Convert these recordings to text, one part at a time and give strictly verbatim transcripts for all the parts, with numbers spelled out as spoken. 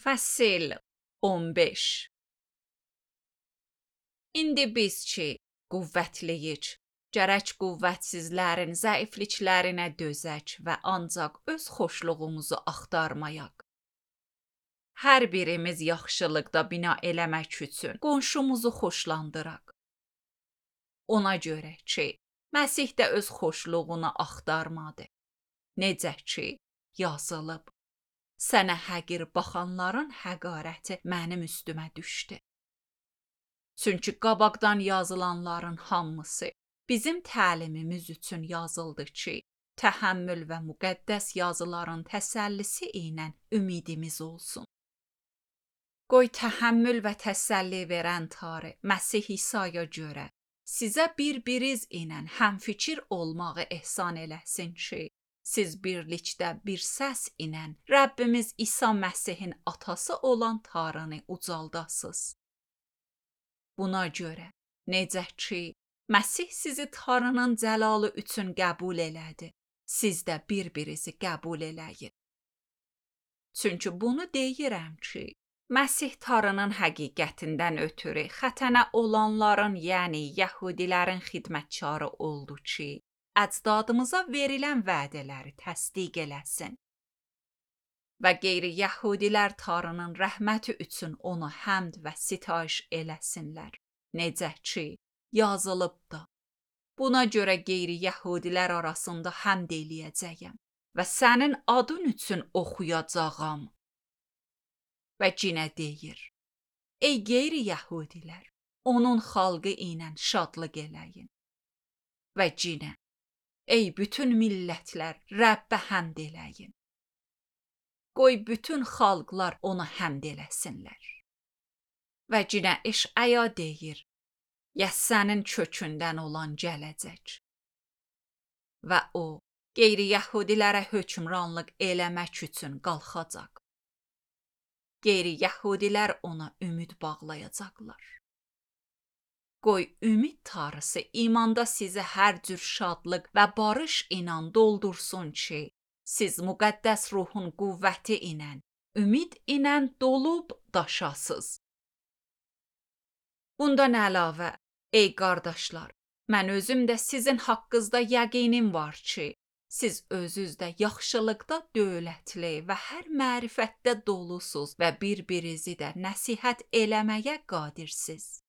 Fəsil on beş. İndi biz ki, qüvvətliyik, gərək qüvvətsizlərin zəifliklərinə dözək və ancaq öz xoşluğumuzu axtarmayaq. Hər birimiz yaxşılıqda bina eləmək üçün qonşumuzu xoşlandıraq. Ona görə ki, Məsih də öz xoşluğunu axtarmadı. Necə ki, yazılıb. Sənə həqir baxanların həqarəti mənim üstümə düşdü. Çünki qabaqdan yazılanların hamısı bizim təlimimiz üçün yazıldı ki, təhəmmül və müqəddəs yazıların təsəllisi ilə ümidimiz olsun. Qoy təhəmmül və təsəlli verən Tanrı Məsih İsa'ya görə sizə bir-biriz ilə həmfikir olmağı ehsan eləsin ki, siz birlikdə bir səs ilə Rəbbimiz İsa Məsihin atası olan Tanrını ucaldasınız. Buna görə, necə ki, Məsih sizi Tanrının cəlalı üçün qəbul elədi, siz də bir-birinizi qəbul eləyin. Çünki bunu deyirəm ki, Məsih Tanrının həqiqətindən ötürü xətənə olanların, yəni Yəhudilərin xidmətkarı oldu ki, əcdadımıza verilən vədələri təsdiq eləsin. Və qeyri-Yəhudilər Tanrının rəhməti üçün ona həmd və sitayiş eləsinlər. Necə ki, yazılıb da. Buna görə qeyri-Yəhudilər arasında həmd eləyəcəyəm və sənin adın üçün oxuyacağam. Və yenə deyir, ey qeyri-Yəhudilər, onun xalqı ilə şadlıq eləyin. Və yenə, ey bütün millətlər, Rəbbə həmd eləyin. Qoy bütün xalqlar ona həmd eləsinlər. Və yenə Eşaya deyir, Yəssənin kökündən olan gələcək. Və o, qeyri-Yəhudilərə hökmranlıq eləmək üçün qalxacaq. Qeyri-Yəhudilər ona ümid bağlayacaqlar. Qoy ümid Tanrısı imanda sizi hər cür şadlıq və barış ilə doldursun ki, siz müqəddəs ruhun qüvvəti ilə, ümid ilə dolub daşasız. Bundan əlavə, ey qardaşlar, mən özüm də sizin haqqınızda yəqinim var ki, siz özünüz də yaxşılıqda dövlətli və hər mərifətdə dolusuz və bir-birinizi də nəsihət eləməyə qadirsiz.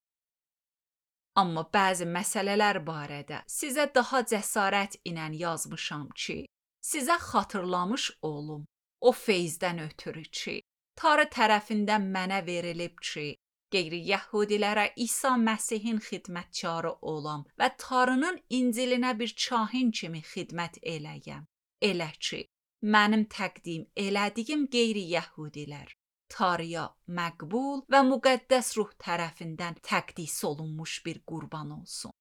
Amma bəzi məsələlər barədə sizə daha cəsarət ilə yazmışam ki, sizə xatırlamış olum, o feyzdən ötürü ki, Tanrı tərəfindən mənə verilib ki, qeyri-Yəhudilərə İsa Məsihin xidmətkarı olam və Tanrının İncilinə bir kahin kimi xidmət eləyəm. Elə ki, mənim təqdim elədiyim qeyri-Yəhudilər Tanrıya məqbul və müqəddəs ruh tərəfindən təqdis olunmuş bir qurban olsun.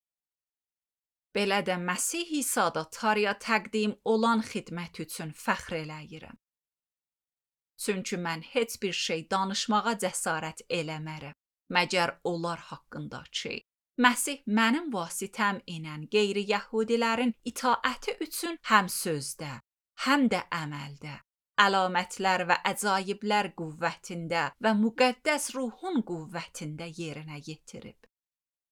Belə də Məsih İsa'da Tanrıya təqdim olan xidmət üçün fəxr eləyirəm. Çünki mən heç bir şey danışmağa cəsarət eləmərəm, məgər onlar haqqında ki, Məsih mənim vasitəm ilə qeyri-Yəhudilərin itaəti üçün həm sözdə, həm də əməldə, əlamətlər və əcaiblər qüvvətində və müqəddəs ruhun qüvvətində yerinə yetirib.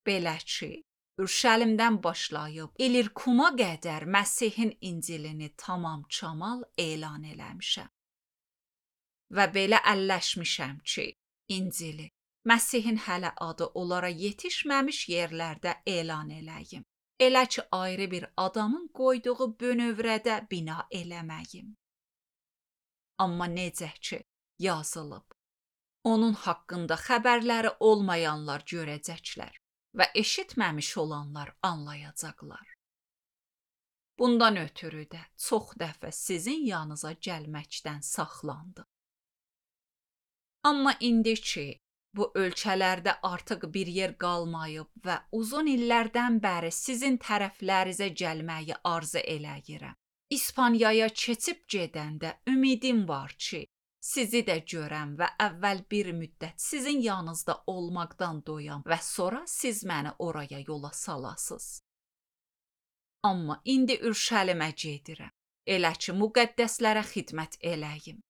Belə ki, Ürşəlimdən başlayıb İlirkuma qədər Məsihin İncilini tamam çamal elan eləmişəm. Və belə əlləşmişəm ki, İncili, Məsihin hələ adı onlara yetişməmiş yerlərdə elan eləyim. Elə ki, ayrı bir adamın qoyduğu bönövrədə bina eləməyim. Amma necə ki, yazılıb. Onun haqqında xəbərləri olmayanlar görəcəklər və eşitməmiş olanlar anlayacaqlar. Bundan ötürü də çox dəfə sizin yanınıza gəlməkdən saxlandım. Amma indi ki, bu ölkələrdə artıq bir yer qalmayıb və uzun illərdən bəri sizin tərəflərinizə gəlməyi arzu eləyirəm. İspaniyaya keçib gedəndə ümidim var ki, sizi də görəm və əvvəl bir müddət sizin yanınızda olmaqdan doyam və sonra siz məni oraya yola salasınız. Amma indi Ürşəlimə gedirəm, elə ki, müqəddəslərə xidmət eləyim.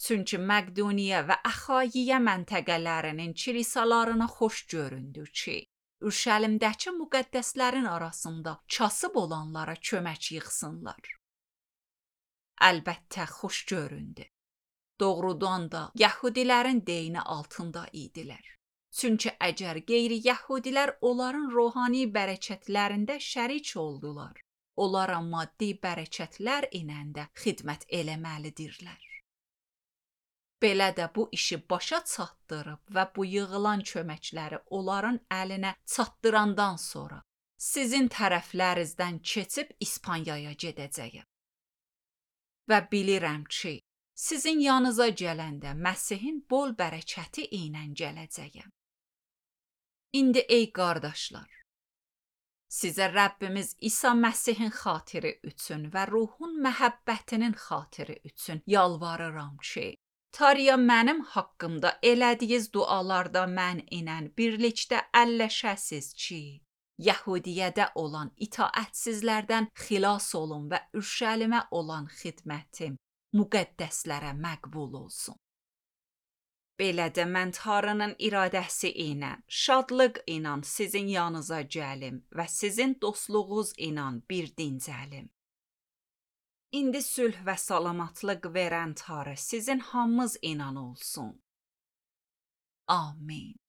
Çünki Məqduniya və Əxayiyə məntəqələrinin kilisalarına xoş göründü ki, Ürşəlimdəki müqəddəslərin arasında kasıb olanlara kömək yığsınlar. Əlbəttə xoş göründü. Doğrudan da Yəhudilərin deyini altında idilər. Çünki əgər qeyri-Yəhudilər onların ruhani bərəkətlərində şərik oldular, onlara maddi bərəkətlər ilə də xidmət eləməlidirlər. Belə də bu işi başa çatdırıb və bu yığılan köməkləri onların əlinə çatdırandan sonra sizin tərəflərinizdən keçib İspaniyaya gedəcəyəm. Və bilirəm ki, sizin yanınıza gələndə Məsihin bol bərəkəti ilə gələcəyəm. İndi ey qardaşlar, sizə Rəbbimiz İsa Məsihin xatiri üçün və ruhun məhəbbətinin xatiri üçün yalvarıram ki, Tariya mənim haqqımda elədiyiz dualarda mən ilə birlikdə əlləşəsiz ki, Yəhudiyədə olan itaətsizlərdən xilas olun və Ürşəlimə olan xidmətim müqəddəslərə məqbul olsun. Belə də mən Tanrının iradəsi ilə, şadlıq ilə sizin yanınıza gəlim və sizin dostluğunuz ilə bir dincəlim. İndi sülh və salamatlıq verən Tanrı sizin hamınız ilə olsun. Amin.